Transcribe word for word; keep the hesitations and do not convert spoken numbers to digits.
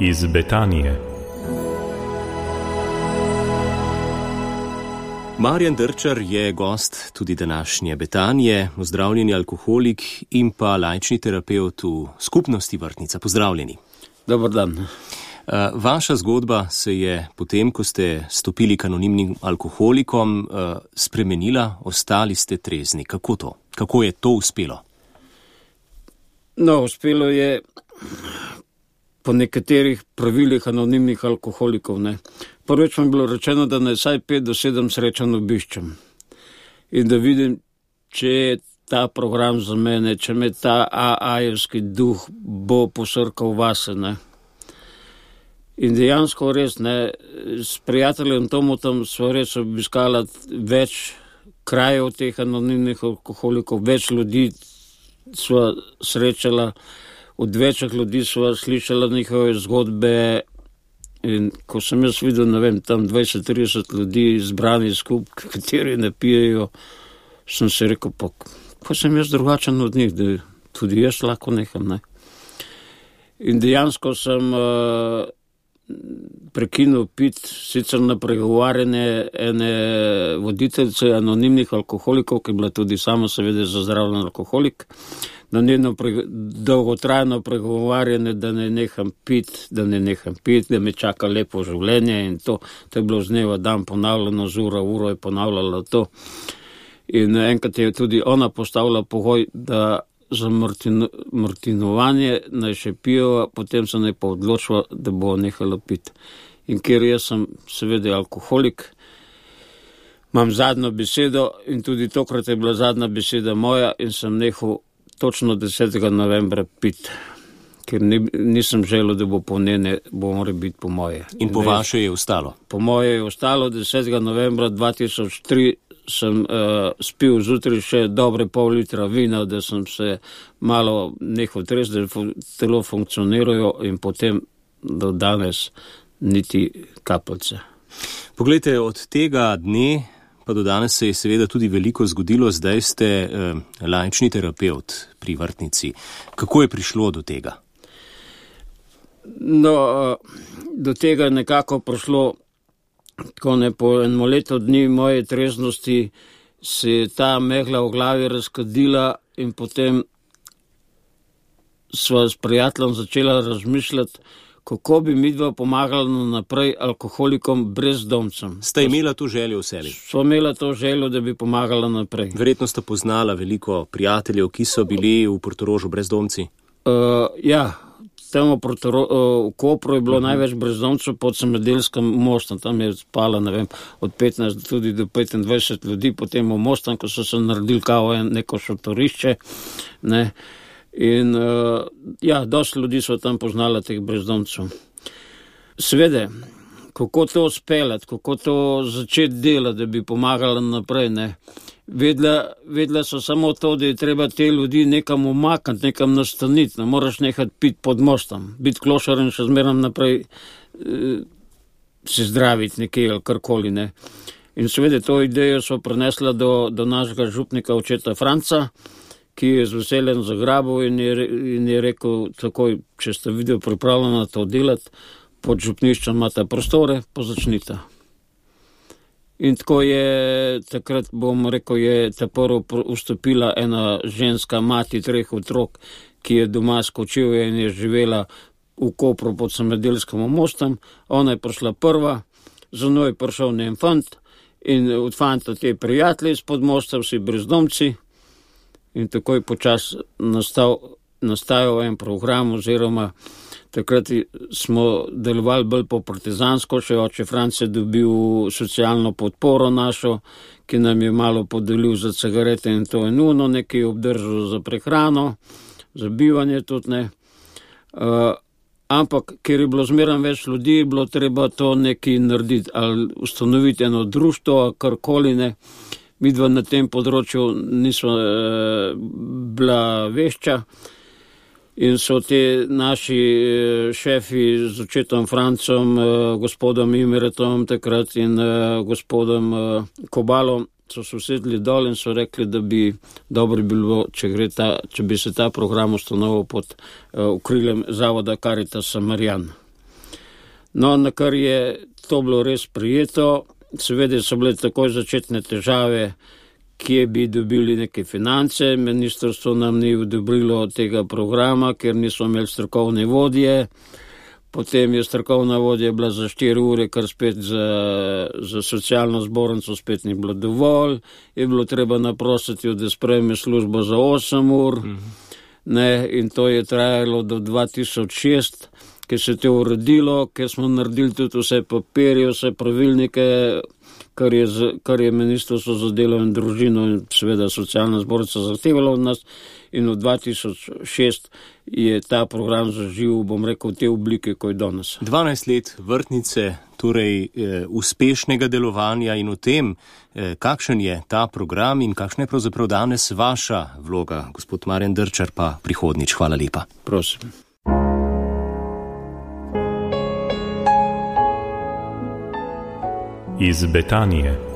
iz Betanije. Marjan Drčar je gost tudi današnje Betanije, ozdravljeni alkoholik in pa laični terapevt v skupnosti Vrtnica. Pozdravljeni. Dobar dan. Vaša zgodba se je potem, ko ste stopili k anonimnim alkoholikom, spremenila, ostali ste trezni. Kako to? Kako je to uspelo? No, uspelo je po nekaterih pravilih anonimnih alkoholikov, ne. Prvič mi je bilo rečeno, da naj vsaj pet do sedem srečanj obiščem in da vidim, če je ta program za mene, če me ta a-ajevski duh bo posrkal vase, ne. In dejansko res, ne, s prijateljem Tomotom sva res obiskala več krajev teh anonimnih alkoholikov, več ljudi sva srečala, od večjih ljudi sva slišala njihove zgodbe. In ko sem jaz videl, ne vem, tam dvajset trideset ljudi zbrani skupaj, kateri ne pijejo, sem se rekel, pa ko sem jaz drugačen od njih, da tudi jaz lahko neham, ne. In dejansko sem uh, prekinil pit, sicer na pregovarjanje ene voditeljice anonimnih alkoholikov, ki je bila tudi sama seveda zazdravljen alkoholik, na njeno pre, dolgotrajno pregovarjanje, da ne neham pit, da ne neham pit, da me čaka lepo življenje in to, to je bilo z dneva dan ponavljeno, z ura uro je ponavljala to. In enkrat je tudi ona postavila pogoj, da za martino, martinovanje naj še pijo, potem se naj pa odločila, da bo nehala pit. In ker jaz sem seveda alkoholik, imam zadnjo besedo in tudi tokrat je bila zadnja beseda moja in sem nehal točno desetega novembra pit, ker ni, nisem želel, da bo po njene, bo mora biti po moje. In po vaše je ostalo? Po moje je ostalo, desetega novembra dva tisoč tri sem uh, spil zjutraj še dobre pol litra vina, da sem se malo nehal trest, da telo funkcionirajo in potem do danes niti kapljice. Poglejte, od tega dne pa do danes se je seveda tudi veliko zgodilo, zdaj ste eh, laični terapevt pri Vrtnici. Kako je prišlo do tega? No, do tega je nekako prišlo, ko ne po eno leto dni moje treznosti se je ta megla v glavi razkadila in potem sva s prijateljem začela razmišljati, kako bi midva pomagala naprej alkoholikom brezdomcem. Ste imela to željo v sebi? Sva imela to željo, da bi pomagala naprej. Verjetno ste poznala veliko prijateljev, ki so bili v Portorožu brezdomci? Uh, ja, tam v, Portoro, uh, v Kopru je bilo uh-huh. največ brezdomcev pod Samedelskem mostom. Tam je spala, ne vem, od petnajst tudi do petindvajset ljudi, potem v mostom, ko so se naredili kao neko šotorišče, ne. In uh, ja, dosti ljudi so tam poznala teh brezdomcev. Svede, kako to speljati, kako to začeti delati, da bi pomagala naprej, ne. Vedela, vedela so samo to, da je treba te ljudi nekam umakniti, nekam nastaniti, ne moraš nehati piti pod mostom, biti klošar in še zmeram naprej eh, se zdraviti nekje ali karkoli, ne. In seveda to idejo so prenesla do, do našega župnika očeta Franca, ki je z veseljem zagrabil in je, in je rekel takoj, če ste video pripravljena to delati, pod župniščem imate prostore, pa začnite. In tako je, takrat bom rekel, je ta prvo vstopila ena ženska mati treh otrok, ki je doma skočila in je živela v Kopru pod Samedelskim mostom. Ona je prišla prva, za njo je prišel njen fant in od fanta te prijatelji spod mosta, vsi brezdomci. In tako je počas nastal, nastajal en program, oziroma takrat smo delovali bolj po partizansko, še oče Franc je dobil socialno podporo našo, ki nam je malo podelil za cigarete in to je nuno, nekaj obdržal za prehrano, za bivanje tudi ne. Uh, ampak, ker je bilo zmeram več ljudi, je bilo treba to nekaj narediti, ali ustanoviti eno društvo, karkoli ne. Midva na tem področju nismo e, bila vešča in so te naši e, šefi z očetom Francom, e, gospodom Imeretom takrat in e, gospodom e, Kobalom so se usedli dol in so rekli, da bi dobro bilo, če, gre ta, če bi se ta program ustanovil pod e, okriljem zavoda Caritas Samarijan. No, na kar je to bilo res prijeto, seveda so bile takoj začetne težave, kje bi dobili neke finance. Ministrstvo nam ni odobrilo tega programa, ker nismo imeli strokovne vodje. Potem je strokovna vodja bila za štiri ure, kar spet za, za socialno zbornico spet ni bilo dovolj. Je bilo treba naprositi, da sprejme službo za osem ur. Mm-hmm. Ne, in to je trajalo do dva tisoč šest, ki se je to uredilo, ker smo naredili tudi vse papirje, vse pravilnike, kar je, kar je Ministrstvo za delo in družino in seveda socialna zbornica zahtevalo od nas. In v dva tisoč šest je ta program zaživel, bom rekel, v te oblike, kot je danes. dvanajst let vrtnice, torej eh, uspešnega delovanja in v tem, eh, kakšen je ta program in kakšna je pravzaprav danes vaša vloga, gospod Marjan Drčar, pa prihodnič. Hvala lepa. Prosim. Iz Betanije.